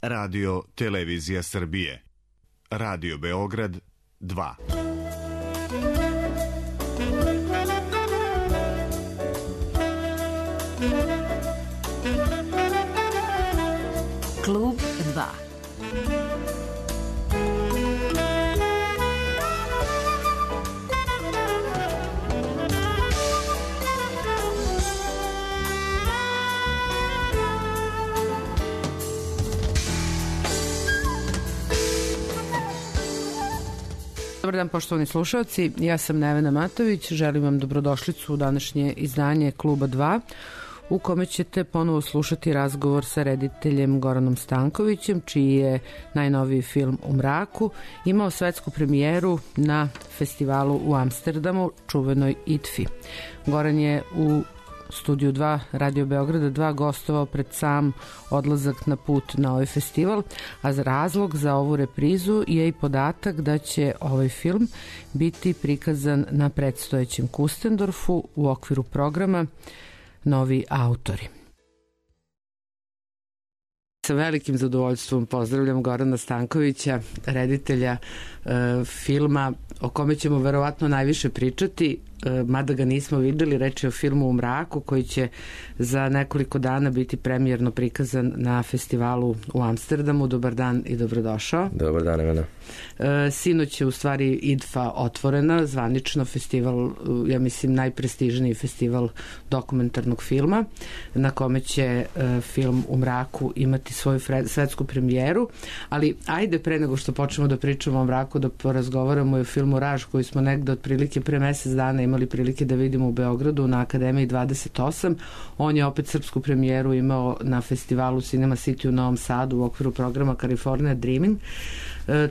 Radio Televizija Srbije. Radio Beograd 2. Klub 2. Dobar dan, poštovani slušalci, ja sam Nevena Matović, želim vam dobrodošlicu u današnje izdanje Kluba 2, u kome ćete ponovo slušati razgovor sa rediteljem Goranom Stankovićem, čiji je najnoviji film U mraku imao svetsku premijeru na festivalu u Amsterdamu, čuvenoj IDFA. Goran je u Studiju 2 Radio Beograda 2 gostovao pred sam odlazak na put na ovaj festival, a razlog za ovu reprizu je i podatak da će ovaj film biti prikazan na predstojećem Kustendorfu u okviru programa Novi autori. Sa velikim zadovoljstvom pozdravljam Gorana Stankovića, reditelja filma o kome ćemo verovatno najviše pričati, mada ga nismo videli. Reč je o filmu U mraku, koji će za nekoliko dana biti premijerno prikazan na festivalu u Amsterdamu. Dobar dan i dobrodošao. Dobar dan, Ivana. Sinoć je u stvari IDFA otvorena, zvanično festival, ja mislim najprestižniji festival dokumentarnog filma, na kome će film U mraku imati svoju svetsku premijeru. Ali ajde, pre nego što počnemo da pričamo o mraku, da porazgovaramo i o filmu Raž, koji smo negde otprilike pre mesec dana imali prilike da vidimo u Beogradu na Akademiji 28. On je opet srpsku premijeru imao na festivalu Cinema City u Novom Sadu u okviru programa California Dreaming.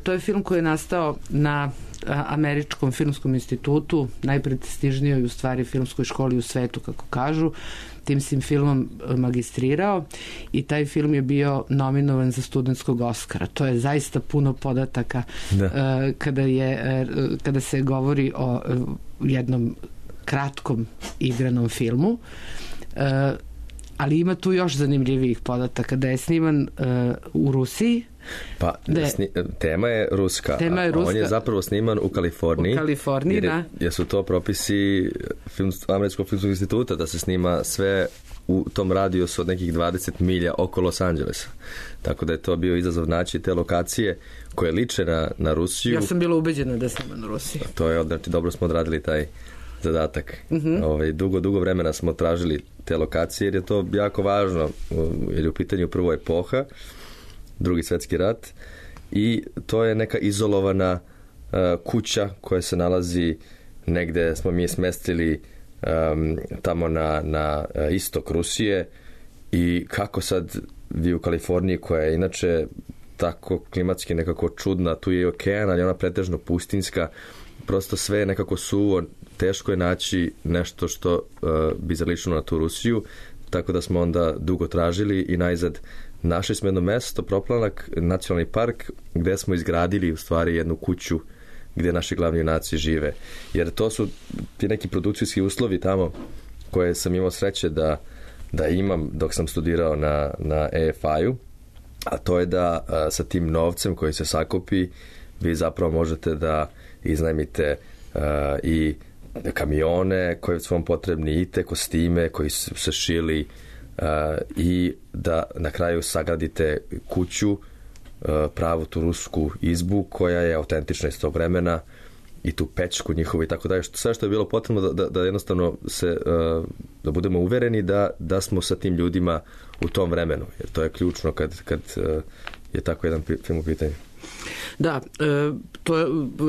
To je film koji je nastao na Američkom filmskom institutu, najprestižnijoj u stvari filmskoj školi u svetu, kako kažu. Tim si filmom magistrirao i taj film je bio nominovan za studentskog Oskara. To je zaista puno podataka kada se govori o jednom kratkom igranom filmu. Ali ima tu još zanimljivijih podataka, da je sniman u Rusiji. Pa, tema je ruska, on je zapravo sniman u Kaliforniji. U Kaliforniji, da. Jer su to propisi Američkog filmskog instituta, da se snima sve u tom radijusu od nekih 20 milja oko Los Angelesa. Tako da je to bio izazov naći te lokacije koje liče na Rusiju. Ja sam bila ubeđena da je sniman u Rusiji. To je, znači, dobro smo odradili taj zadatak. Dugo vremena smo tražili te lokacije, jer je to jako važno, jer je u pitanju prvo epoha, Drugi svjetski rat, i to je neka izolovana kuća koja se nalazi negde, smo mi smestili tamo na istok Rusije. I kako sad vi u Kaliforniji, koja je inače tako klimatski nekako čudna, tu je i okean, ali ona pretežno pustinska, prosto sve je nekako suvo, teško je naći nešto što bi zaličilo na tu Rusiju, tako da smo onda dugo tražili i najzad našli smo jedno mesto, Proplanak, nacionalni park, gde smo izgradili u stvari jednu kuću gde naši glavni junaci žive. Jer to su ti neki produkcijski uslovi tamo koje sam imao sreće da imam dok sam studirao na EFI-u, a to je da sa tim novcem koji se sakupi vi zapravo možete da iznajmite i kamione koji su vam potrebni, i te kostime koji su se šili, i da na kraju sagradite kuću, pravu tu rusku izbu koja je autentična iz tog vremena, i tu pećku njihovu i tako dalje. Sve što je bilo potrebno da jednostavno da budemo uvereni da smo sa tim ljudima u tom vremenu, jer to je ključno kad je tako jedan film u pitanju. Da, to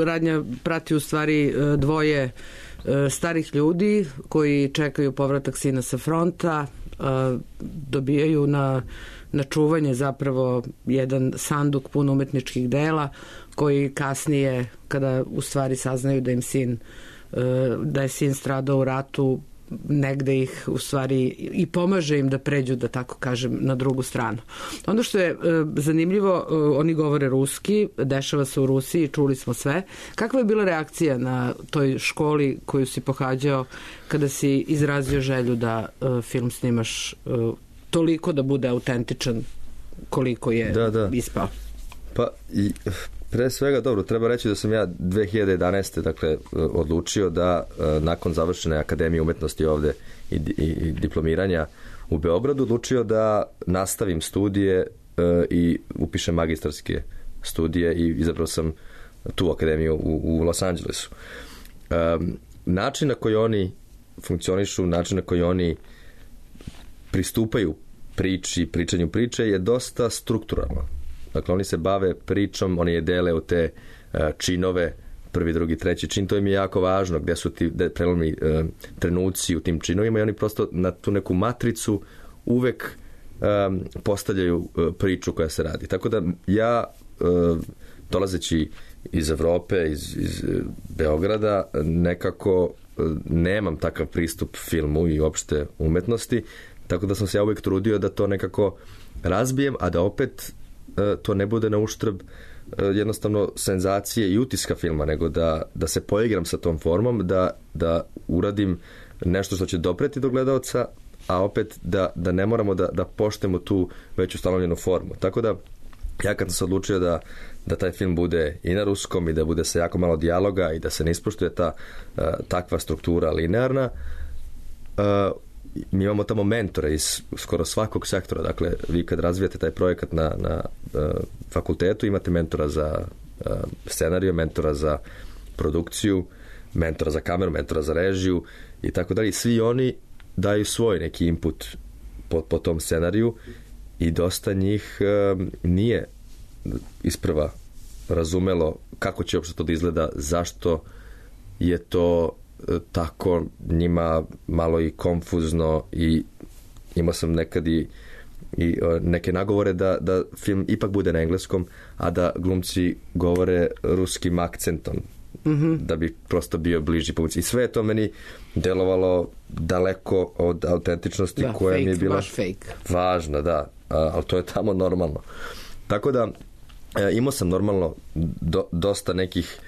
radnja prati u stvari dvoje starih ljudi koji čekaju povratak sina sa fronta, dobijaju na čuvanje zapravo jedan sanduk pun umetničkih dela, koji kasnije, kada u stvari saznaju da je sin stradao u ratu, negde ih u stvari i pomaže im da pređu, da tako kažem, na drugu stranu. Ono što je zanimljivo, oni govore ruski, dešava se u Rusiji, čuli smo sve. Kakva je bila reakcija na toj školi koju si pohađao kada si izrazio želju da film snimaš toliko da bude autentičan koliko je ispao. Pa i pre svega, dobro, treba reći da sam ja 2011. dakle odlučio da nakon završene Akademije umetnosti ovde i diplomiranja u Beogradu odlučio da nastavim studije i upišem magistarske studije i izabrao sam tu akademiju u Los Angelesu. Način na koji oni funkcionišu, način na koji oni pristupaju pričanju priče je dosta strukturalno. Dakle, oni se bave pričom, oni je dele u te činove, prvi, drugi, treći čin, to im je jako važno, gde su ti prelomni trenuci u tim činovima i oni prosto na tu neku matricu uvek postavljaju priču koja se radi. Tako da ja, dolazeći iz Evrope, iz Beograda, nekako nemam takav pristup filmu i uopšte umetnosti, tako da sam se ja uvek trudio da to nekako razbijem, a da opet to ne bude na uštrb jednostavno senzacije i utiska filma, nego da se poigram sa tom formom, da uradim nešto što će dopreti do gledaoca, a opet da ne moramo da poštemo tu već ustanovljenu formu. Tako da ja kad sam se odlučio da taj film bude i na ruskom i da bude sa jako malo dijaloga i da se ne ispoštuje ta takva struktura linearna, mi imamo tamo mentore iz skoro svakog sektora. Dakle, vi kad razvijate taj projekat na fakultetu, imate mentora za scenariju, mentora za produkciju, mentora za kameru, mentora za režiju i tako dalje. Svi oni daju svoj neki input po tom scenariju i dosta njih nije isprva razumelo kako će uopšte to da izgleda, zašto je to tako njima malo i konfuzno i imao sam nekad i neke nagovore da film ipak bude na engleskom, a da glumci govore ruskim akcentom, da bi prosto bio bliži publici. I sve je to meni delovalo daleko od autentičnosti koja mi je bila važna, da, ali to je tamo normalno. Tako da imao sam normalno dosta nekih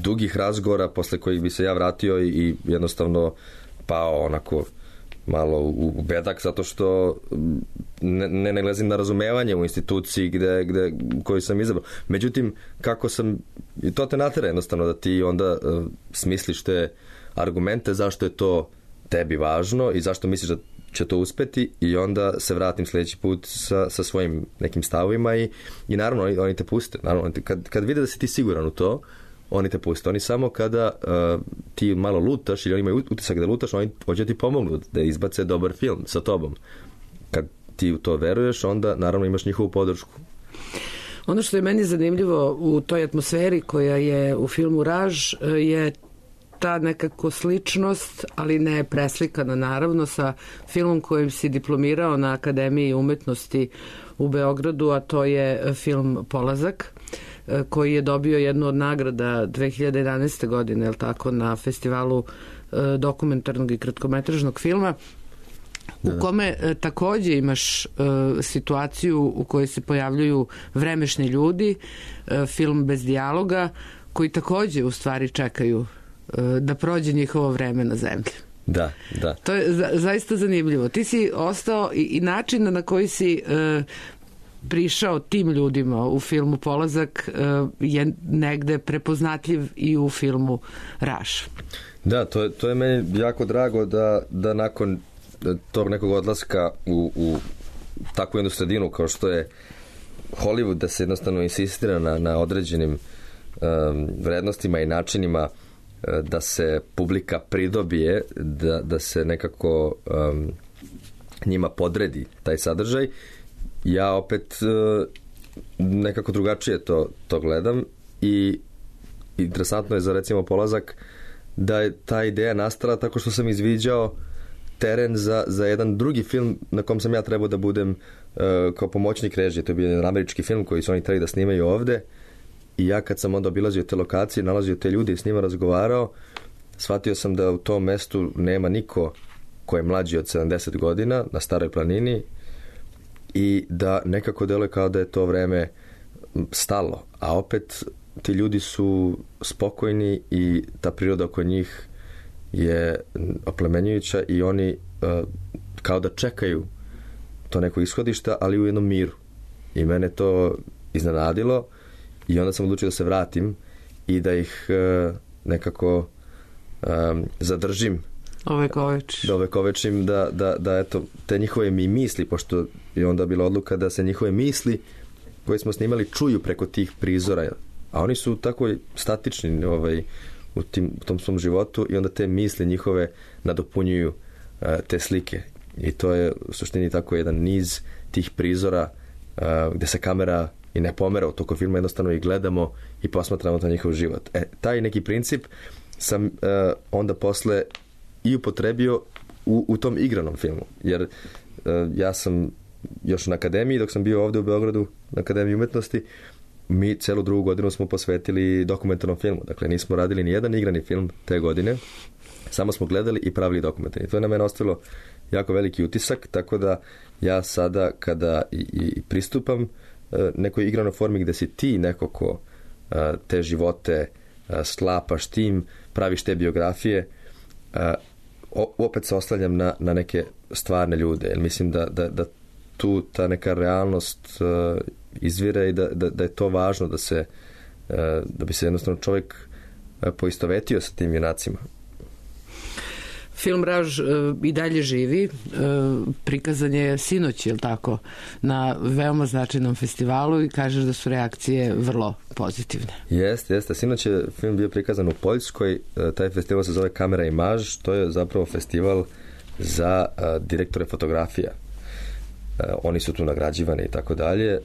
dugih razgovora posle kojih bi se ja vratio i jednostavno pao onako malo u bedak zato što ne nailazim na razumevanje u instituciji koju sam izabrao. Međutim, kako sam, i to te natera jednostavno da ti onda smisliš te argumente zašto je to tebi važno i zašto misliš da će to uspeti i onda se vratim sljedeći put sa svojim nekim stavovima i naravno oni te puste. Naravno, kad vide da si ti siguran u to, oni te puste. Oni samo kada ti malo lutaš ili oni imaju utisak da lutaš, oni hoće ti pomognu da izbace dobar film sa tobom. Kad ti u to veruješ, onda naravno imaš njihovu podršku. Ono što je meni zanimljivo u toj atmosferi koja je u filmu Raž je ta nekako sličnost, ali ne preslikana naravno, sa filmom kojim si diplomirao na Akademiji umetnosti u Beogradu, a to je film Polazak, koji je dobio jednu od nagrada 2011. godine, je li tako, na festivalu dokumentarnog i kratkometražnog filma, u kome takođe imaš situaciju u kojoj se pojavljuju vremešni ljudi, film bez dijaloga, koji takođe u stvari čekaju da prođe njihovo vreme na zemlji. Da. To je zaista zanimljivo. Ti si ostao i način na koji si prišao tim ljudima u filmu Polazak je negde prepoznatljiv i u filmu Raž. Da, to je meni jako drago da nakon tog nekog odlaska u takvu jednu sredinu kao što je Hollywood, da se jednostavno insistira na određenim vrednostima i načinima da se publika pridobije, da se nekako njima podredi taj sadržaj. Ja opet nekako drugačije to gledam i interesantno je za recimo Polazak da je ta ideja nastala tako što sam izviđao teren za jedan drugi film na kom sam ja trebao da budem kao pomoćnik režije. To je bio jedan američki film koji su oni trebali da snimaju ovde i ja kad sam onda obilazio te lokacije, nalazio te ljude i s njima razgovarao, shvatio sam da u tom mestu nema niko ko je mlađi od 70 godina na Staroj planini i da nekako deluje kao da je to vreme stalo, a opet ti ljudi su spokojni i ta priroda oko njih je oplemenjujuća i oni kao da čekaju to neko ishodišta, ali u jednom miru. I mene to iznenadilo i onda sam odlučio da se vratim i da ih nekako zadržim. Da ovekovečim, da eto, te njihove mi misli, pošto je onda bila odluka da se njihove misli koje smo snimali čuju preko tih prizora, a oni su tako statični u tom svom životu i onda te misli njihove nadopunjuju te slike. I to je u suštini tako jedan niz tih prizora gde se kamera i ne pomera u toku filma, jednostavno i gledamo i posmatramo to njihov život. Taj neki princip sam onda posle i upotrebio u tom igranom filmu, jer ja sam još na akademiji, dok sam bio ovde u Beogradu na Akademiji umetnosti, mi celu drugu godinu smo posvetili dokumentarnom filmu. Dakle, nismo radili ni jedan igrani film te godine, samo smo gledali i pravili dokumentarni. To je na mene ostavilo jako veliki utisak, tako da ja sada kada i pristupam nekoj igranoj formi gde si ti neko ko te živote sklapaš tim, praviš te biografije, opet se oslanjam na neke stvarne ljude, jer mislim da tu ta neka realnost izvire i da je to važno da bi se jednostavno čovjek poistovetio sa tim junacima. Film Raž i dalje živi, prikazan je sinoć, je li tako, na veoma značajnom festivalu i kažeš da su reakcije vrlo pozitivne. Jeste. Sinoć je film bio prikazan u Poljskoj, taj festival se zove Kamera Imaž, to je zapravo festival za direktore fotografija. Oni su tu nagrađivani i tako dalje.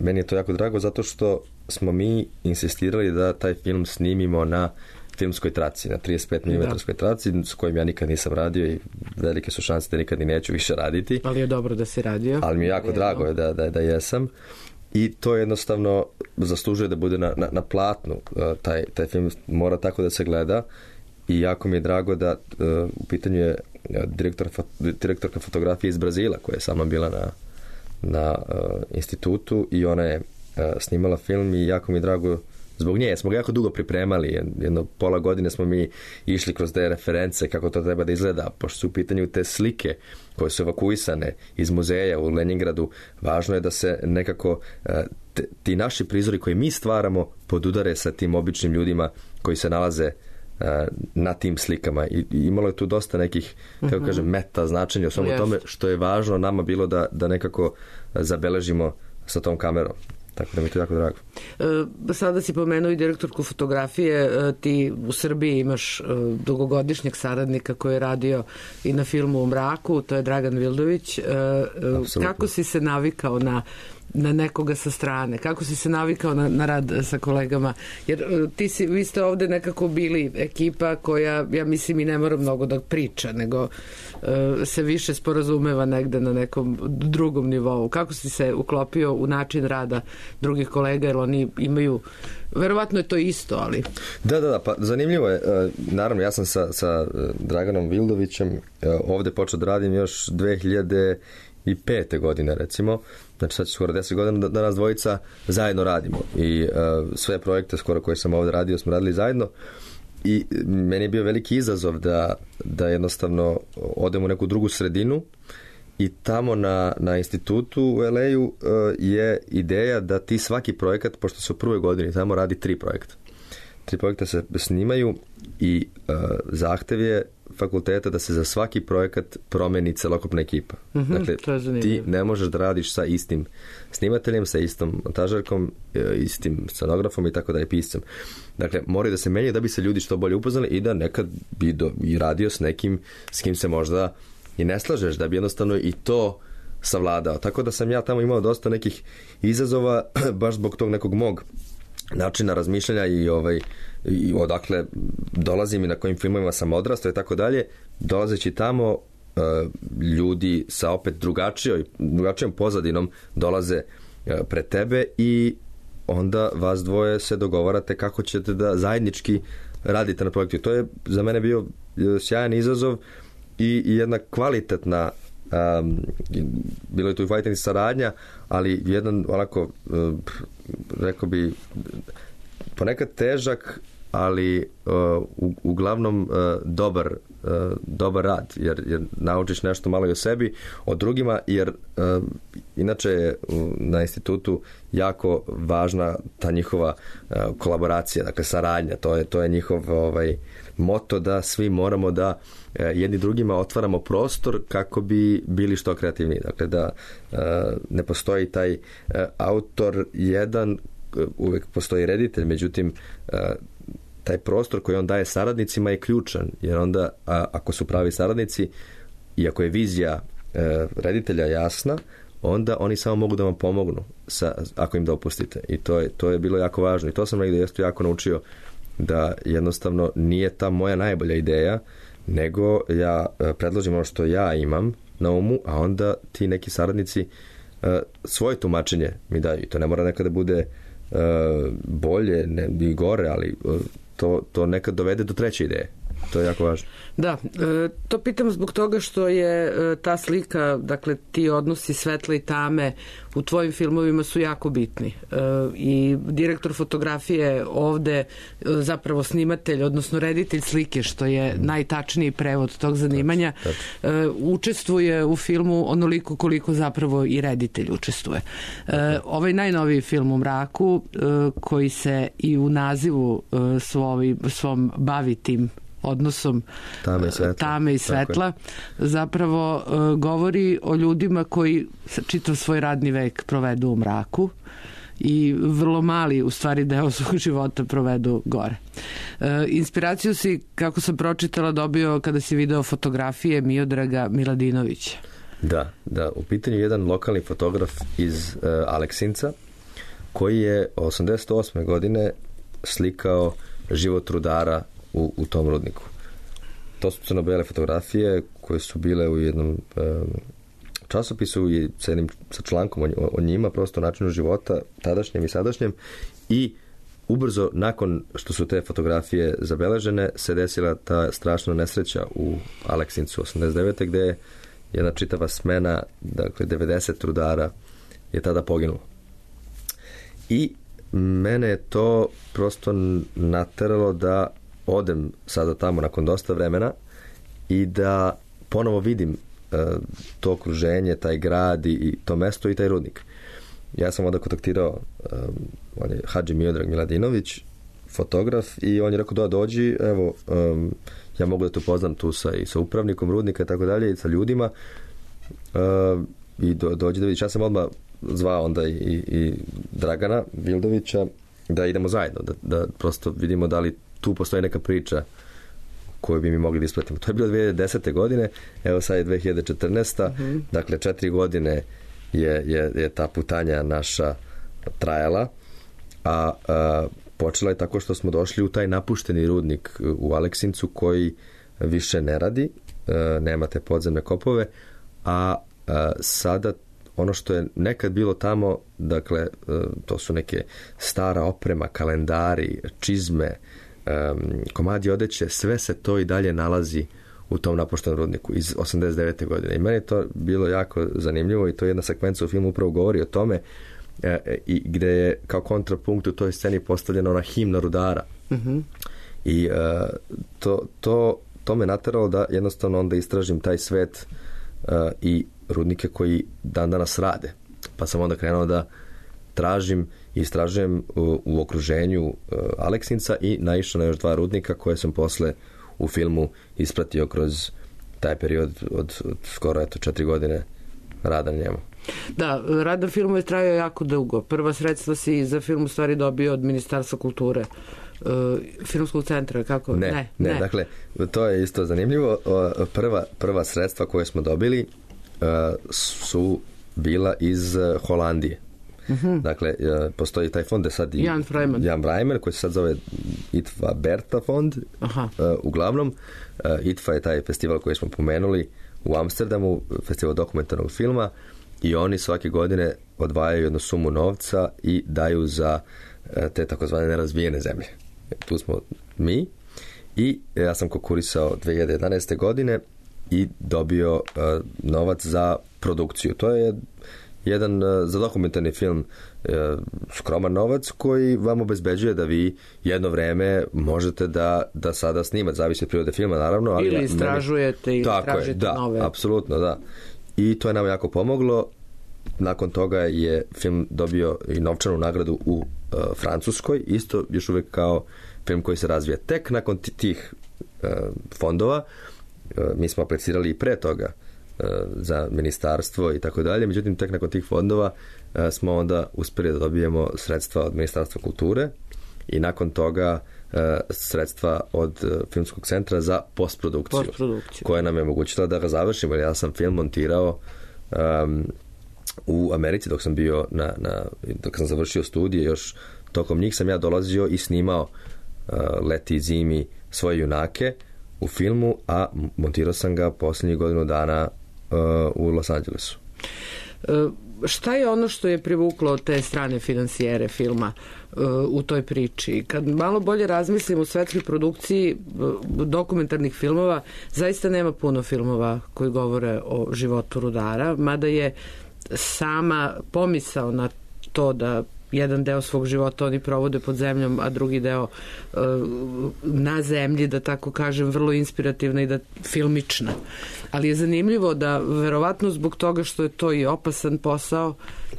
Meni je to jako drago zato što smo mi insistirali da taj film snimimo na filmskoj traci, na 35 mm traci, s kojim ja nikad nisam radio i velike su šanse da nikad i neću više raditi. Ali je dobro da si radio. Ali mi je jako drago da jesam. I to jednostavno zaslužuje da bude na platnu. Taj film mora tako da se gleda i jako mi je drago da u pitanju je direktorka fotografije iz Brazila koja je sama bila na institutu i ona je snimala film i jako mi je drago zbog nje. Smo ga jako dugo pripremali, jedno pola godine smo mi išli kroz te reference kako to treba da izgleda, pošto su u pitanju te slike koje su evakuisane iz muzeja u Leningradu. Važno je da se nekako ti naši prizori koji mi stvaramo podudare sa tim običnim ljudima koji se nalaze na tim slikama i imalo je tu dosta nekih, kako kažem, meta značenja o svemu tome, što je važno nama bilo da nekako zabeležimo sa tom kamerom. Tako da mi je to jako drago. Sada si pomenuo i direktorku fotografije. Ti u Srbiji imaš dugogodišnjeg saradnika koji je radio i na filmu U mraku, to je Dragan Vildović. Kako si se navikao na nekoga sa strane? Kako si se navikao na rad sa kolegama? Jer vi ste ovde nekako bili ekipa koja, ja mislim, i ne mora mnogo da priča, nego se više sporazumeva negde na nekom drugom nivou. Kako si se uklopio u način rada drugih kolega, jer oni imaju, verovatno je to isto, ali... Da, pa zanimljivo je. Naravno, ja sam sa Draganom Vildovićem ovde počeo da radim još 2005. godine, recimo. Znači sad će skoro 10 godina da nas dvojica zajedno radimo i sve projekte skoro koje sam ovde radio smo radili zajedno i meni je bio veliki izazov da jednostavno odem u neku drugu sredinu i tamo na institutu u LA-u je ideja da ti svaki projekat, pošto se u prvoj godini tamo radi 3 projekta. 3 projekta se snimaju i zahtev je fakulteta da se za svaki projekat promeni celokupna ekipa. Dakle, ti ne možeš da radiš sa istim snimateljem, sa istom montažerkom, istim scenografom i tako da je piscem. Dakle, moraju da se menjaju da bi se ljudi što bolje upoznali i da nekad bi i radio s nekim s kim se možda i ne slažeš, da bi jednostavno i to savladao. Tako da sam ja tamo imao dosta nekih izazova baš zbog tog nekog mog načina razmišljanja i odakle dolazim i na kojim filmovima sam odrastao i tako dalje. Dolazeći tamo, ljudi sa opet drugačijom pozadinom dolaze pred tebe i onda vas dvoje se dogovarate kako ćete da zajednički radite na projektu. To je za mene bio sjajan izazov i jedna kvalitetna bilo je tu i fighting saradnja, ali jedan onako rekao bi ponekad težak ali uglavnom dobar rad, jer naučiš nešto malo i o sebi, o drugima, jer inače je na institutu jako važna ta njihova kolaboracija, dakle saradnja, to je njihov moto da svi moramo da jedni drugima otvaramo prostor kako bi bili što kreativniji. Dakle, da ne postoji taj autor jedan, uvek postoji reditelj, međutim taj prostor koji on daje saradnicima je ključan, jer onda ako su pravi saradnici i ako je vizija reditelja jasna, onda oni samo mogu da vam pomognu ako im dopustite. I to je bilo jako važno. I to sam negdje jako naučio, da jednostavno nije ta moja najbolja ideja, nego ja predložim ono što ja imam na umu, a onda ti neki saradnici svoje tumačenje mi daju. I to ne mora nekada bude bolje i gore, ali to nekad dovede do treće ideje. To je jako važno. Da, to pitam zbog toga što je ta slika, dakle ti odnosi svetla i tame u tvojim filmovima su jako bitni. I direktor fotografije ovde, zapravo snimatelj, odnosno reditelj slike, što je najtačniji prevod tog zanimanja, učestvuje u filmu onoliko koliko zapravo i reditelj učestvuje. Ovaj najnoviji film U mraku, koji se i u nazivu svom bavi tim odnosom tame i svetla, zapravo govori o ljudima koji čitav svoj radni vek provedu u mraku i vrlo mali u stvari deo svog života provedu gore. Inspiraciju si, kako sam pročitala, dobio kada si video fotografije Miodraga Miladinovića. Da, u pitanju jedan lokalni fotograf iz Aleksinca koji je 88. godine slikao život rudara u tom rudniku. To su crno-bele fotografije koje su bile u jednom časopisu i sa člankom o njima, prosto načinu života tadašnjem i sadašnjem, i ubrzo nakon što su te fotografije zabeležene se desila ta strašna nesreća u Aleksincu 89. gde je jedna čitava smena, dakle 90 rudara je tada poginulo. I mene je to prosto nateralo da odem sada tamo nakon dosta vremena i da ponovo vidim to okruženje, taj grad i to mesto i taj rudnik. Ja sam onda kontaktirao on je Hadži Miodrag Miladinović, fotograf, i on je rekao da dođi, evo ja mogu da te upoznam tu sa upravnikom rudnika i tako dalje i sa ljudima i dođi da vidiš. Ja sam odmah zvao onda i Dragana Vildovića da idemo zajedno, da prosto vidimo da li tu postoji neka priča koju bi mi mogli da ispratimo. To je bilo 2010. godine, evo sad je 2014. Dakle 4 godine je ta putanja naša trajala, a počela je tako što smo došli u taj napušteni rudnik u Aleksincu koji više ne radi, nema te podzemne kopove, a sada ono što je nekad bilo tamo, dakle to su neke stara oprema, kalendari, čizme, komadi odeće, sve se to i dalje nalazi u tom napuštenom rudniku iz 89. godine. I meni je to bilo jako zanimljivo i to je jedna sekvenca u filmu upravo govori o tome i gde je kao kontrapunkt u toj sceni postavljena ona himna rudara. I to me nateralo da jednostavno onda istražim taj svet i rudnike koji dan danas rade. Pa sam onda krenuo da tražim i istražujem u okruženju Aleksinca i naišao na još 2 rudnika koje sam posle u filmu ispratio kroz taj period od skoro 4 godine rada na njemu. Da, rad na filmu je trajao jako dugo. Prva sredstva si za film u stvari dobio od Ministarstva kulture, Filmskog centra, kako? Ne. Dakle, to je isto zanimljivo. Prva sredstva koje smo dobili su bila iz Holandije. Dakle, postoji taj fond, je sad Jan Vrajman, koji se sad zove ITVA Berta fond. Uglavnom, ITVA je taj festival koji smo pomenuli u Amsterdamu, festival dokumentarnog filma, i oni svake godine odvajaju jednu sumu novca i daju za te takozvane nerazvijene zemlje. Tu smo mi i ja sam konkurisao 2011. godine i dobio novac za produkciju. To je jedan za dokumentarni film skroman novac koji vam obezbeđuje da vi jedno vreme možete da sada snimate, zavisi od prirode filma naravno. Ali ili istražujete ili tražite nove. Apsolutno, da. I to je nam jako pomoglo. Nakon toga je film dobio i novčanu nagradu u Francuskoj, isto još uvijek kao film koji se razvija. Tek nakon tih fondova, mi smo aplicirali i pre toga za ministarstvo i tako dalje, međutim tek nakon tih fondova smo onda uspjeli da dobijemo sredstva od Ministarstva kulture i nakon toga sredstva od Filmskog centra za postprodukciju. Koja nam je omogućila da ga završimo. Ja sam film montirao u Americi dok sam bio dok sam završio studije, još tokom njih sam ja dolazio i snimao leti i zimi svoje junake u filmu, a montirao sam ga posljednjih godinu dana u Los Angelesu. Šta je ono što je privuklo te strane finansijere filma u toj priči? Kad malo bolje razmislim u svetskoj produkciji dokumentarnih filmova, zaista nema puno filmova koji govore o životu rudara, mada je sama pomisao na to da jedan deo svog života oni provode pod zemljom, a drugi deo na zemlji, da tako kažem, vrlo inspirativna i da filmična. Ali je zanimljivo da verovatno zbog toga što je to i opasan posao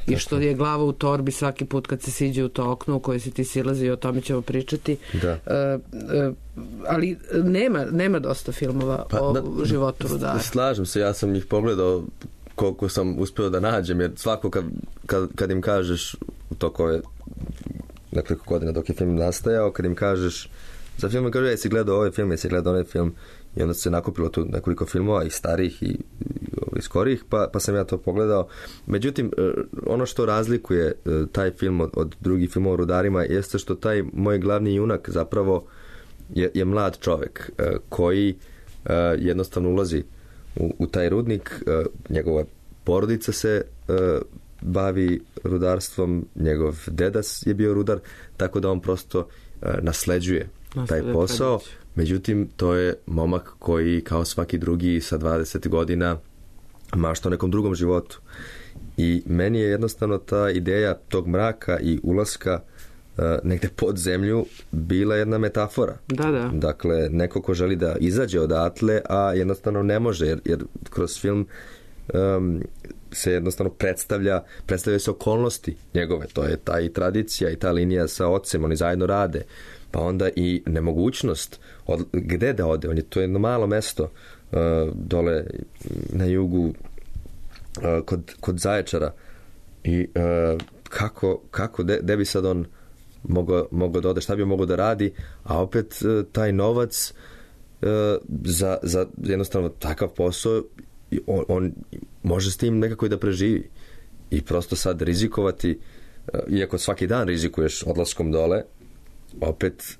i što je glava u torbi svaki put kad se siđe u to okno u koje si ti silazi, o tome ćemo pričati. Da. Ali nema dosta filmova o životu rudara. Slažem se, ja sam ih pogledao koliko sam uspio da nađem, jer svako kad im kažeš u tokove nekoliko godina dok je film nastajao, kad im kažeš za film, kaže jesi gledao ovaj film, jesi gledao onaj film, i onda se nakupilo tu nekoliko filmova i starih i skorijih, pa sam ja to pogledao. Međutim, ono što razlikuje taj film od drugih filmova o rudarima jeste što taj moj glavni junak zapravo je mlad čovjek koji jednostavno ulazi u taj rudnik, njegova porodica se bavi rudarstvom, njegov deda je bio rudar, tako da on prosto nasleđuje taj posao. Međutim, to je momak koji kao svaki drugi sa 20 godina mašta o nekom drugom životu. I meni je jednostavno ta ideja tog mraka i ulaska negde pod zemlju bila jedna metafora. Da. Dakle, neko ko želi da izađe odatle, a jednostavno ne može, jer kroz film se jednostavno predstavljaju se okolnosti njegove. To je ta i tradicija i ta linija sa ocem, oni zajedno rade. Pa onda i nemogućnost gde da ode. To je jedno malo mesto dole na jugu kod Zaječara. I kako gde bi sad on mogao da ode, šta bi mogao da radi, a opet taj novac za jednostavno takav posao on može s tim nekako i da preživi. I prosto sad rizikovati, iako svaki dan rizikuješ odlaskom dole, opet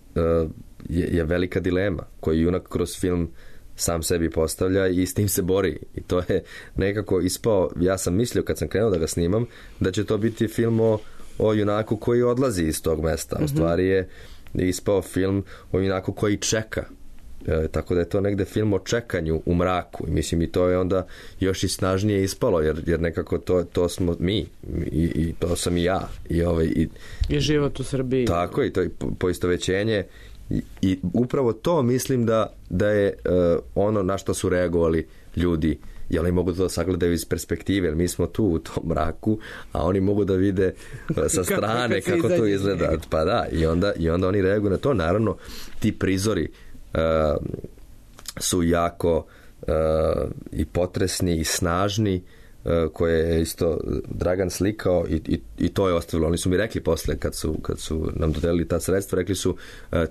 je velika dilema koju junak kroz film sam sebi postavlja i s tim se bori. I to je nekako ispao, ja sam mislio kad sam krenuo da ga snimam, da će to biti film o junaku koji odlazi iz tog mesta. U stvari je ispao film o junaku koji čeka. Tako da je to negde film o čekanju u mraku. I mislim, i to je onda još i snažnije ispalo, jer nekako to smo mi i to sam i ja. I život u Srbiji. Tako, i to je poistovećenje. I upravo to mislim da je ono na što su reagovali ljudi, i oni mogu to sagledaju iz perspektive, jer mi smo tu u tom mraku, a oni mogu da vide sa strane kako to izgleda. Pa da, i onda oni reaguju na to. Naravno, ti prizori su jako i potresni i snažni, koje je isto Dragan slikao i to je ostavilo. Oni su mi rekli posle kad su nam dodelili ta sredstva, rekli su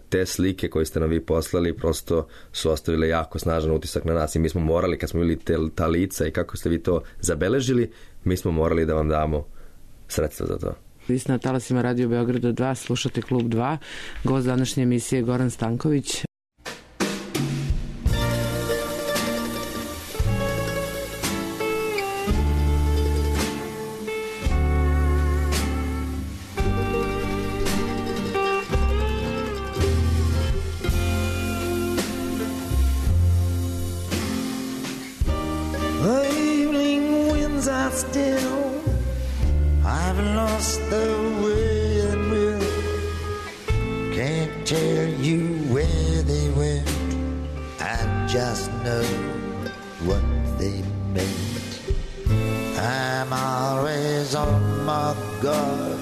te slike koje ste nam vi poslali prosto su ostavile jako snažan utisak na nas i mi smo morali, kad smo vidjeli ta lica i kako ste vi to zabeležili, mi smo morali da vam damo sredstva za to. Vi ste na talasima Radio Beograda 2, slušate Klub 2, gost današnje emisije Goran Stanković. lost the way and will. Can't tell you where they went. I just know what they meant. I'm always on my guard,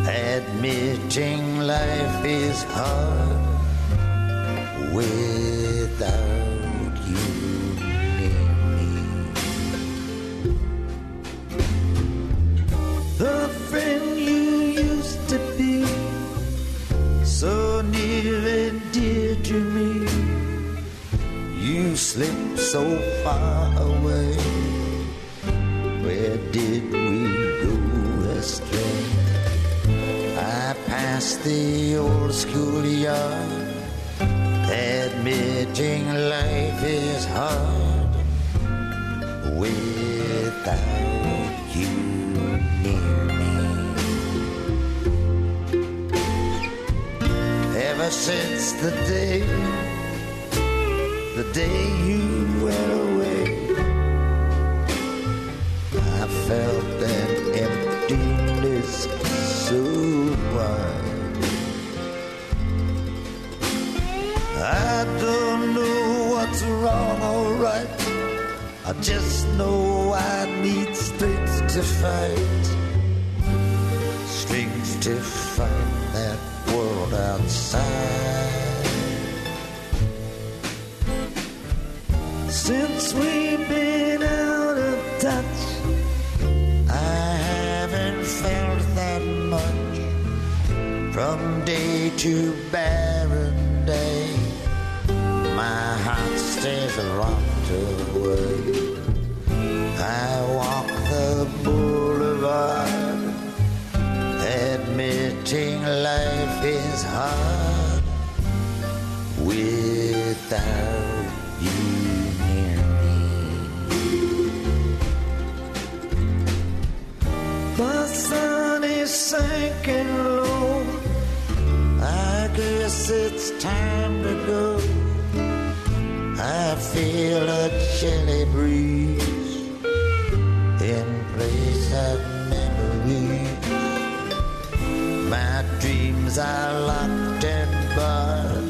admitting life is hard without you near me. The friend you used to be, so near and dear to me, you slipped so far away. Where did we go astray? I passed the old schoolyard, admitting life is hard without you near me. Ever since the day you went away, I felt an emptiness so wide. I don't know what's wrong or right, I just know I need strength to fight, strength to fight that world outside. Since we've been out of touch, I haven't felt that much. From day to barren day, my heart stays locked away. I walk the boulevard, admitting life is hard without you. The sun is sinking low, I guess it's time to go. I feel a chilly breeze in place of memories. My dreams are locked and barred,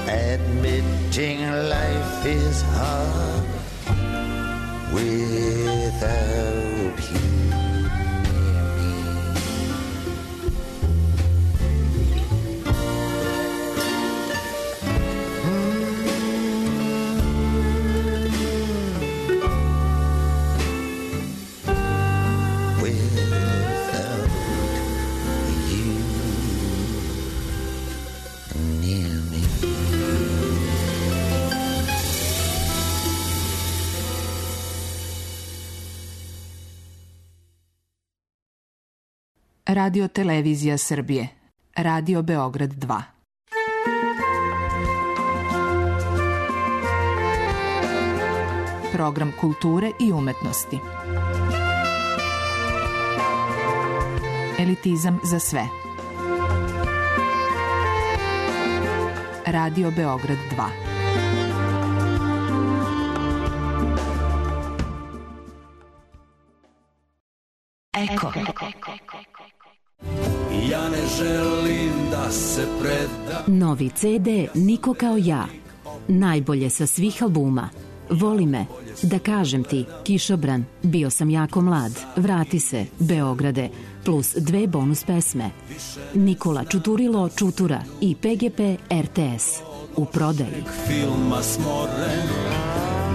admitting life is hard without you. Radio Televizija Srbije. Radio Beograd 2. Program kulture i umetnosti. Elitizam za sve. Radio Beograd 2. Eko. Ja ne želim da se predam. Novi CD Niko kao ja. Najbolje sa svih albuma. Voli me, da kažem ti, Kišobran, bio sam jako mlad, vrati se, Beograde, plus 2 bonus pesme. Nikola Čuturilo Čutura i PGP RTS. U prodaji. Filma smoren,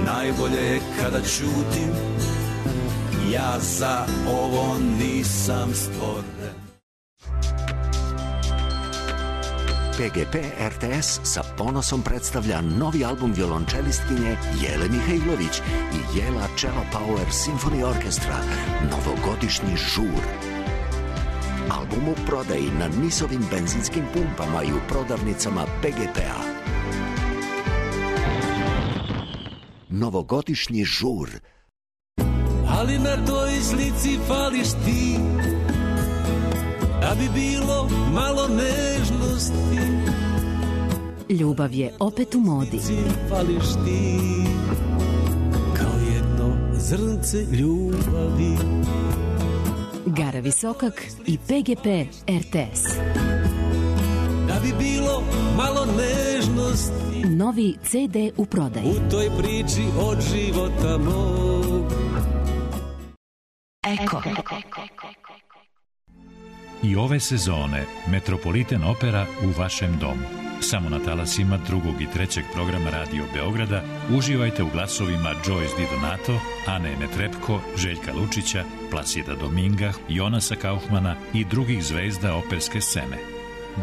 najbolje je kada ćutim, ja za ovo nisam stvoren. PGP RTS sa ponosom predstavlja novi album violončelistkinje Jele Mihajlović i Jela Cello Power Symphony Orchestra, novogodišnji žur. Album u prodaji na NIS-ovim benzinskim pumpama i u prodavnicama PGP-a. Novogodišnji žur. Ali na toj slici fališ ti, da bi bilo malo nežnosti. Ljubav je opet u modi. Fališ ti, kao jedno zrnce ljubavi. Gara Visokak i PGP RTS. Da bi bilo malo nežnosti, Novi CD u prodaji. u toj priči od života mog. Eko. I ove sezone Metropolitan Opera u vašem domu. Samo na talasima 2. i 3. programa Radio Beograda uživajte u glasovima Joyce Di Donato, Ane Netrebko, Željka Lučića, Plasida Dominga, Jonasa Kaufmana i drugih zvezda operske scene.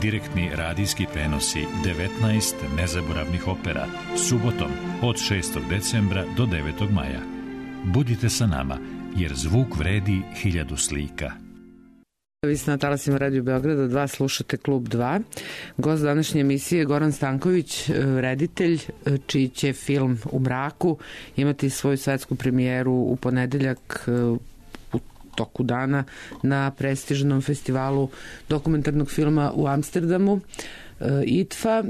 Direktni radijski prenosi 19 nezaboravnih opera subotom od 6. decembra do 9. maja. Budite sa nama, jer zvuk vredi 1000 slika. Vi ste na talasima Radio Beograda 2, slušate Klub 2. Gost današnje emisije je Goran Stanković, reditelj, čiji će film U mraku imati svoju svetsku premijeru u ponedeljak u toku dana na prestižnom festivalu dokumentarnog filma u Amsterdamu. IDFA,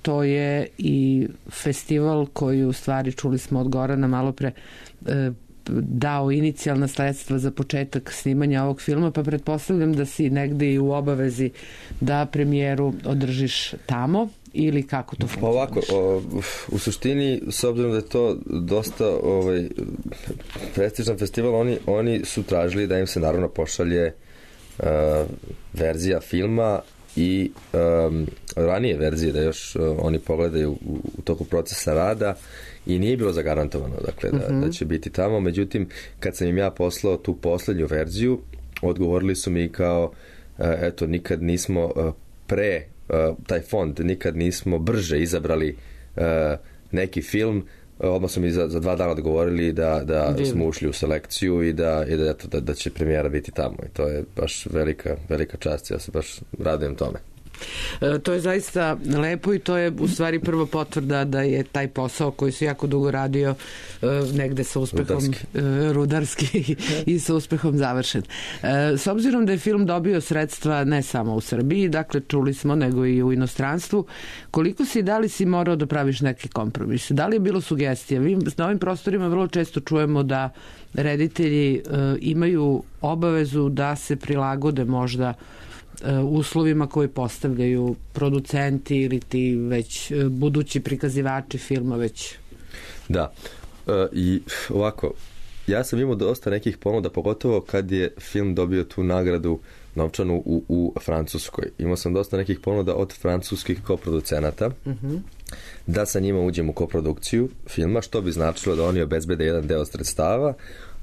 to je i festival koji u stvari, čuli smo od Gorana malo pre, dao inicijalna sredstva za početak snimanja ovog filma, pa pretpostavljam da si negde i u obavezi da premijeru održiš tamo, ili kako to funkcioniš? Ovako, u suštini, s obzirom da je to dosta prestižan festival, oni su tražili da im se naravno pošalje verzija filma i ranije verzije, da još oni pogledaju u toku procesa rada, i nije bilo zagarantovano, dakle, da će biti tamo. Međutim, kad sam im ja poslao tu poslednju verziju, odgovorili su mi kao, eto, nikad nismo taj fond, nikad nismo brže izabrali neki film. Odmah su mi za 2 dana odgovorili da smo ušli u selekciju i da će premijera biti tamo. I to je baš velika čast. Ja se baš radujem tome. To je zaista lepo i to je u stvari prva potvrda da je taj posao koji se jako dugo radio negde sa uspehom rudarski i sa uspehom završen. S obzirom da je film dobio sredstva ne samo u Srbiji, dakle čuli smo, nego i u inostranstvu, koliko si, da li si morao da praviš neke kompromise? Da li je bilo sugestija? Mi na ovim prostorima vrlo često čujemo da reditelji imaju obavezu da se prilagode možda uslovima koje postavljaju producenti ili ti već budući prikazivači filma već. Da, i ovako, ja sam imao dosta nekih ponuda, pogotovo kad je film dobio tu nagradu novčanu u Francuskoj. Imao sam dosta nekih ponuda od francuskih koproducenata da sa njima uđem u koprodukciju filma, što bi značilo da oni obezbede jedan deo sredstava,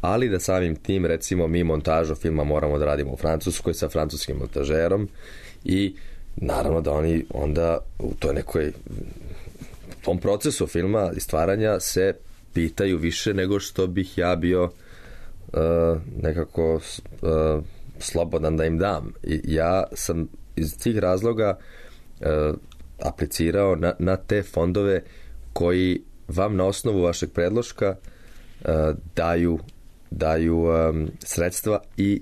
ali da samim tim, recimo, mi montažu filma moramo da radimo u Francuskoj sa francuskim montažerom i naravno da oni onda u toj nekoj tom procesu filma i stvaranja se pitaju više nego što bih ja bio nekako slobodan da im dam. I ja sam iz tih razloga aplicirao na te fondove koji vam na osnovu vašeg predloška daju sredstva i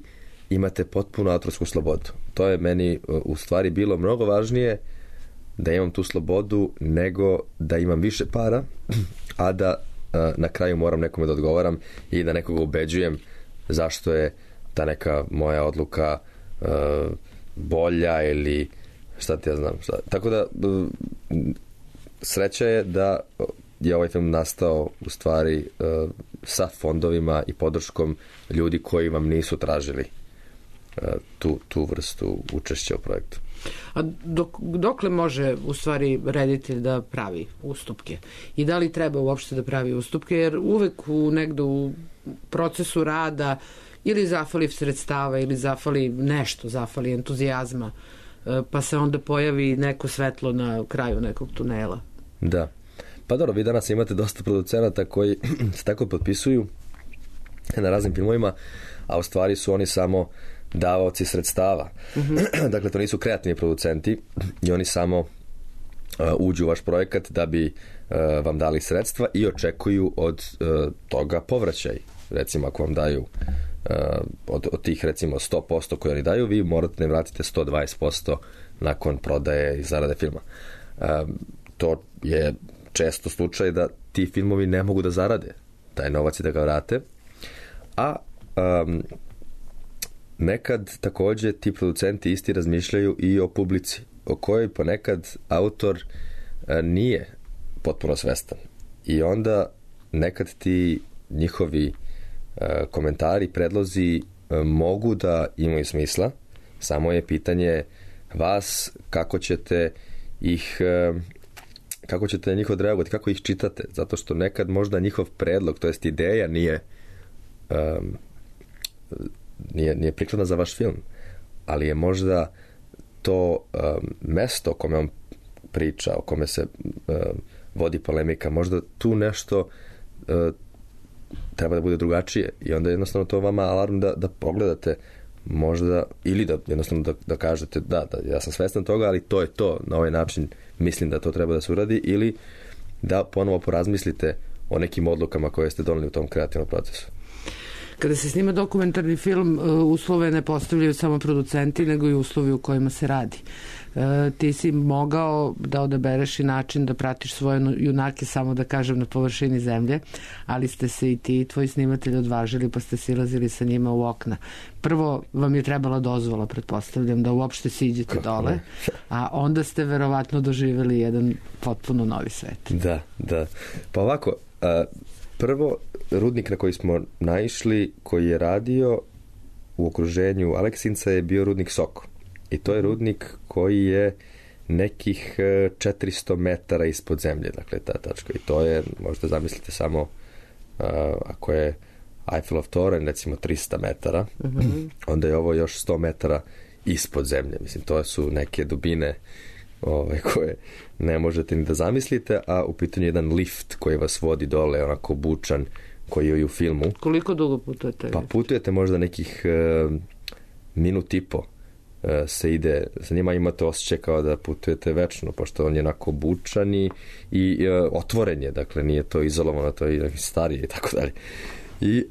imate potpuno autorsku slobodu. To je meni u stvari bilo mnogo važnije, da imam tu slobodu, nego da imam više para, a da na kraju moram nekome da odgovaram i da nekoga ubeđujem zašto je ta neka moja odluka bolja ili šta ti ja znam. Tako da sreća je da je ovaj film nastao u stvari sa fondovima i podrškom ljudi koji vam nisu tražili tu vrstu učešća u projektu. A dokle može u stvari reditelj da pravi ustupke? I da li treba uopšte da pravi ustupke? Jer uvek negde u procesu rada ili zafali sredstava ili zafali entuzijazma, pa se onda pojavi neko svetlo na kraju nekog tunela. Da. Pa dobro, vi danas imate dosta producenata koji se tako potpisuju na raznim filmovima, a u stvari su oni samo davaoci sredstava. Dakle, to nisu kreativni producenti i oni samo uđu u vaš projekat da bi vam dali sredstva i očekuju od toga povraćaj. Recimo, ako vam daju od tih, recimo, 100% koje oni daju, vi morate da im vratite 120% nakon prodaje i zarade filma. To je često slučaj da ti filmovi ne mogu da zarade taj novac i da ga vrate, a nekad također ti producenti isti razmišljaju i o publici, o kojoj ponekad autor nije potpuno svestan. I onda nekad ti njihovi komentari, predlozi mogu da imaju smisla, samo je pitanje vas kako ćete njih odreagovati, kako ih čitate, zato što nekad možda njihov predlog, to jest ideja nije prikladna za vaš film, ali je možda to mesto o kome on priča, o kome se vodi polemika, možda tu nešto treba da bude drugačije i onda jednostavno to vama alarm da pogledate možda, ili da jednostavno da kažete da, ja sam svestan toga, ali to je to, na ovaj način mislim da to treba da se uradi, ili da ponovo porazmislite o nekim odlukama koje ste doneli u tom kreativnom procesu. Kada se snima dokumentarni film, uslove ne postavljaju samo producenti, nego i uslovi u kojima se radi. Ti si mogao da odabereš i način da pratiš svoje junake, samo da kažem, na površini zemlje, ali ste se i ti i tvoji snimatelji odvažili, pa ste silazili sa njima u okna. Prvo vam je trebala dozvola, pretpostavljam, da uopšte siđete dole, a onda ste verovatno doživjeli jedan potpuno novi svet. Da. Pa ovako, prvo, rudnik na koji smo naišli, koji je radio u okruženju Aleksinca, je bio rudnik Soko. I to je rudnik koji je nekih 400 metara ispod zemlje, dakle ta tačka. I to je, možete zamisliti samo, ako je Eiffelov toranj, recimo 300 metara, onda je ovo još 100 metara ispod zemlje. Mislim, to su neke dubine koje ne možete ni da zamislite, a u pitanju je jedan lift koji vas vodi dole, onako bučan, koji je i u filmu. Koliko dugo putujete? Pa putujete možda nekih minut i po se ide, sa njima imate osjećaj kao da putujete večno, pošto on je onako bučan i otvoren je, dakle nije to izolovano, to je starije i tako dalje. I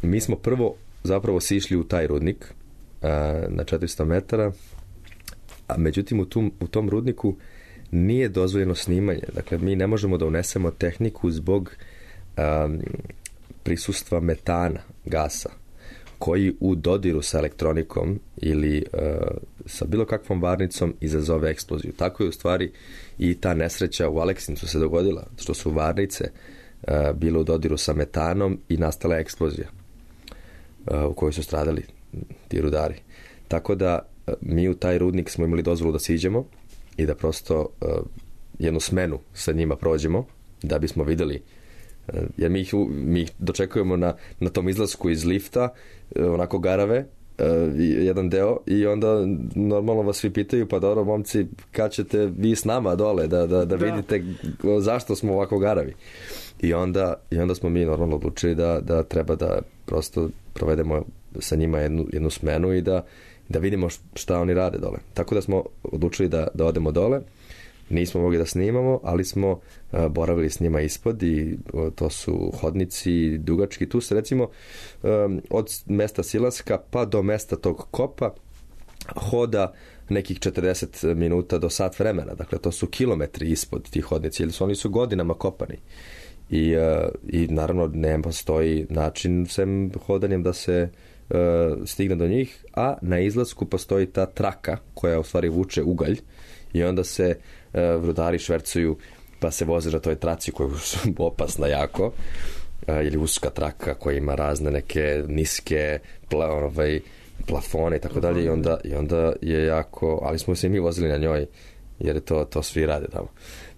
mi smo prvo zapravo sišli u taj rudnik na 400 metara, a međutim u tom rudniku nije dozvoljeno snimanje. Dakle, mi ne možemo da unesemo tehniku zbog prisustva metana, gasa, koji u dodiru sa elektronikom ili sa bilo kakvom varnicom izazove eksploziju. Tako je u stvari i ta nesreća u Aleksincu se dogodila, što su varnice bile u dodiru sa metanom i nastala eksplozija u kojoj su stradali ti rudari. Tako da mi u taj rudnik smo imali dozvolu da siđemo i da prosto jednu smenu sa njima prođemo, da bismo vidjeli, jer mi ih dočekujemo na tom izlasku iz lifta, onako garave, jedan deo, i onda normalno vas svi pitaju, pa dobro momci, kad ćete vi s nama dole da vidite zašto smo ovako garavi. I onda smo mi normalno odlučili da treba da prosto provedemo sa njima jednu smenu i da vidimo šta oni rade dole. Tako da smo odlučili da odemo dole. Nismo mogli da snimamo, ali smo boravili s njima ispod i to su hodnici dugački. Tu se recimo od mesta silaska pa do mesta tog kopa hoda nekih 40 minuta do sat vremena. Dakle, to su kilometri ispod tih hodnici, jer oni su godinama kopani. I naravno ne postoji način sem hodanjem da se stigne do njih, a na izlasku postoji ta traka koja u stvari vuče ugalj i onda se rudari švercuju pa se voze na toj traci koja je opasna jako, ili uska traka koja ima razne neke niske plafone i tako dalje, i onda je jako, ali smo se i mi vozili na njoj jer je to svi rade tamo.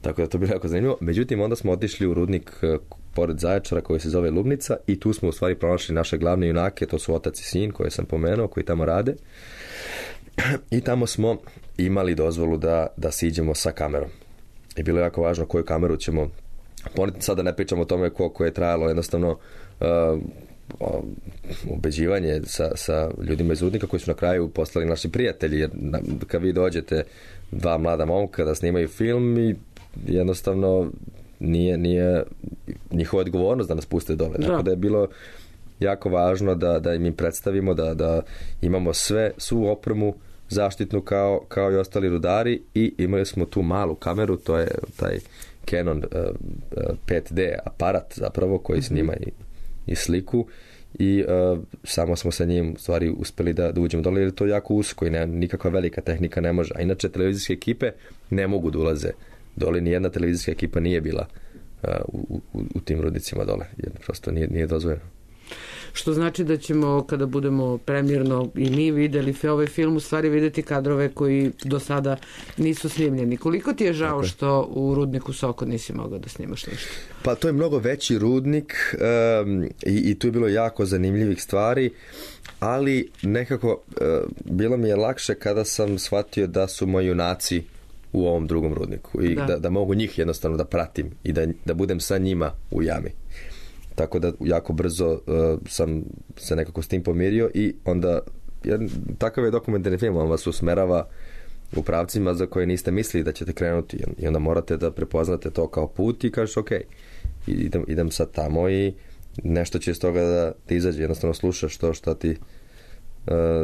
Tako da to bilo jako zanimljivo. Međutim, onda smo otišli u rudnik pored Zaječara koji se zove Lubnica i tu smo u stvari pronašli naše glavne junake, to su otac i sin koje sam pomenuo, koji tamo rade. I tamo smo imali dozvolu da siđemo sa kamerom. I bilo je jako važno koju kameru ćemo poneti. Sada ne pričamo o tome koliko je trajalo jednostavno ubeđivanje sa ljudima iz rudnika koji su na kraju postali naši prijatelji, jer kad vi dođete dva mlada momka da snimaju film i jednostavno nije njihova odgovornost da nas puste dole. Tako da je bilo jako važno da im predstavimo da imamo svu opremu zaštitnu kao i ostali rudari, i imali smo tu malu kameru, to je taj Canon 5D aparat zapravo koji snima i sliku, i samo smo sa njim u stvari uspeli da uđemo dole, jer je to jako usko i nikakva velika tehnika ne može. A inače televizijske ekipe ne mogu da ulaze dole, nijedna televizijska ekipa nije bila u tim rudnicima dole, jer prosto nije dozvoljeno. Što znači da ćemo, kada budemo premjerno i mi videli ovaj film, u stvari videti kadrove koji do sada nisu snimljeni. Koliko ti je žao što u rudniku Soko nisi mogao da snimaš nešto? Pa to je mnogo veći rudnik i tu je bilo jako zanimljivih stvari, ali nekako bilo mi je lakše kada sam shvatio da su moji junaci u ovom drugom rudniku i da mogu njih jednostavno da pratim i da budem sa njima u jami. Tako da jako brzo sam se nekako s tim pomirio i onda takav je dokumentarni film, on vas usmerava u pravcima za koje niste mislili da ćete krenuti i onda morate da prepoznate to kao put i kažeš ok, idem sad tamo i nešto će iz toga da izađe, jednostavno slušaš to šta ti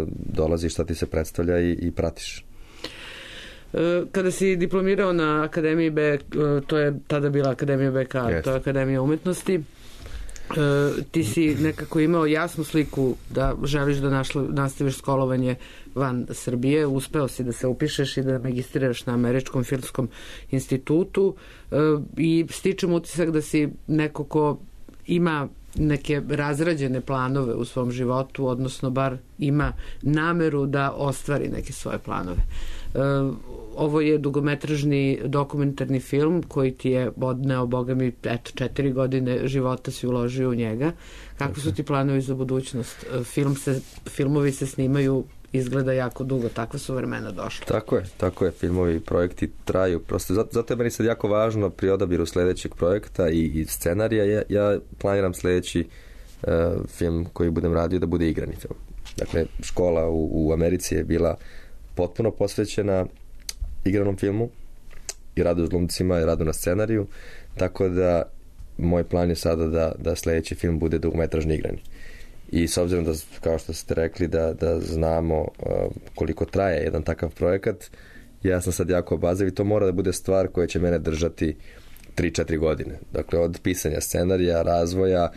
dolazi, šta ti se predstavlja i pratiš. Kada si diplomirao na Akademiji to je tada bila Akademija BK, to je Akademija umetnosti, ti si nekako imao jasnu sliku da želiš da nastaviš školovanje van Srbije, uspeo si da se upišeš i da magistriraš na Američkom filmskom institutu i stičem utisak da si neko ko ima neke razrađene planove u svom životu, odnosno bar ima nameru da ostvari neke svoje planove. Ovo je dugometražni dokumentarni film koji ti je odneo, boga mi, 4 godine života si uložio u njega. Kakvi su ti planovi za budućnost? Filmovi se snimaju, izgleda jako dugo, takva su vremena došla. Tako je, filmovi i projekti traju. Prosto, zato je meni sad jako važno pri odabiru sledećeg projekta i scenarija. Ja planiram sledeći film koji budem radio da bude igrani film. Dakle, škola u Americi je bila potpuno posvećena igranom filmu i radu s glumcima i radu na scenariju, tako da moj plan je sada da sledeći film bude dugometražni igrani. I s obzirom da, kao što ste rekli, da znamo koliko traje jedan takav projekat, ja sam sad jako obazriv i to mora da bude stvar koja će mene držati 3-4 godine. Dakle, od pisanja scenarija, razvoja,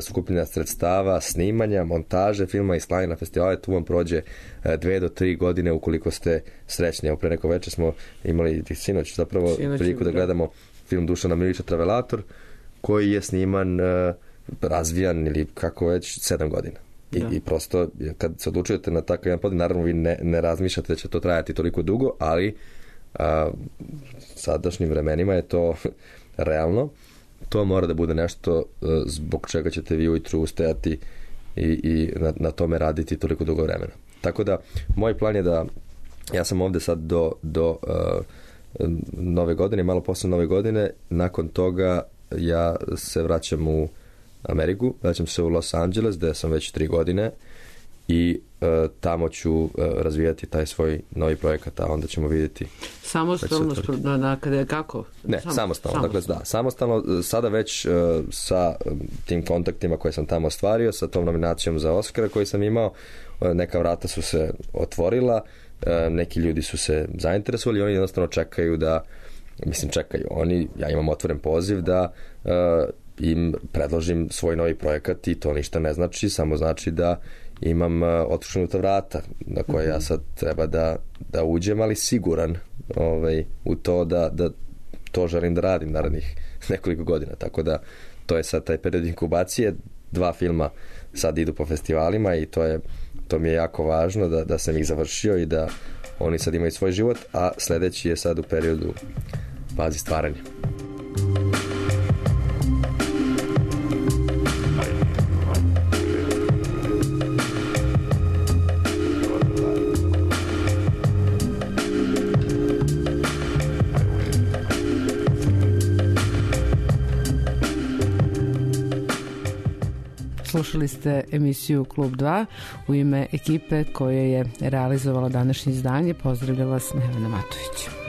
skupljanja sredstava, snimanja, montaže filma i slanja na festivale, tu vam prođe 2 do 3 godine ukoliko ste srećni. Evo, pre neko večer smo imali sinoć zapravo priliku da gledamo film Dušana Milića Travelator, koji je sniman, razvijan ili kako već 7 godina. I prosto, kad se odlučujete na takav jedan podijel, naravno vi ne razmišljate da će to trajati toliko dugo, ali sadašnjim vremenima je to realno. To mora da bude nešto zbog čega ćete vi ujutru ustajati i na tome raditi toliko dugo vremena. Tako da, moj plan je da ja sam ovde sad do nove godine, malo posle nove godine, nakon toga ja se vraćam u Ameriku, vraćam se u Los Angeles, gde sam već 3 godine i tamo ću razvijati taj svoj novi projekat, a onda ćemo vidjeti. Samostalno? Kako? Ne, samostalno. Dakle, samostalno. Sada već sa tim kontaktima koje sam tamo ostvario, sa tom nominacijom za Oscara koju sam imao, neka vrata su se otvorila, neki ljudi su se zainteresovali, oni jednostavno čekaju. Ja imam otvoren poziv da im predložim svoj novi projekat i to ništa ne znači, samo znači da imam otvorenuta vrata na koje ja sad treba da uđem, ali siguran u to da to želim da radim narednih nekoliko godina. Tako da to je sad taj period inkubacije. 2 filma sad idu po festivalima i to mi je jako važno da sam ih završio i da oni sad imaju svoj život, a sledeći je sad u periodu fazi stvaranja. Slušali ste emisiju Klub 2. U ime ekipe koje je realizovala današnje izdanje pozdravlja vas Nevena Matović.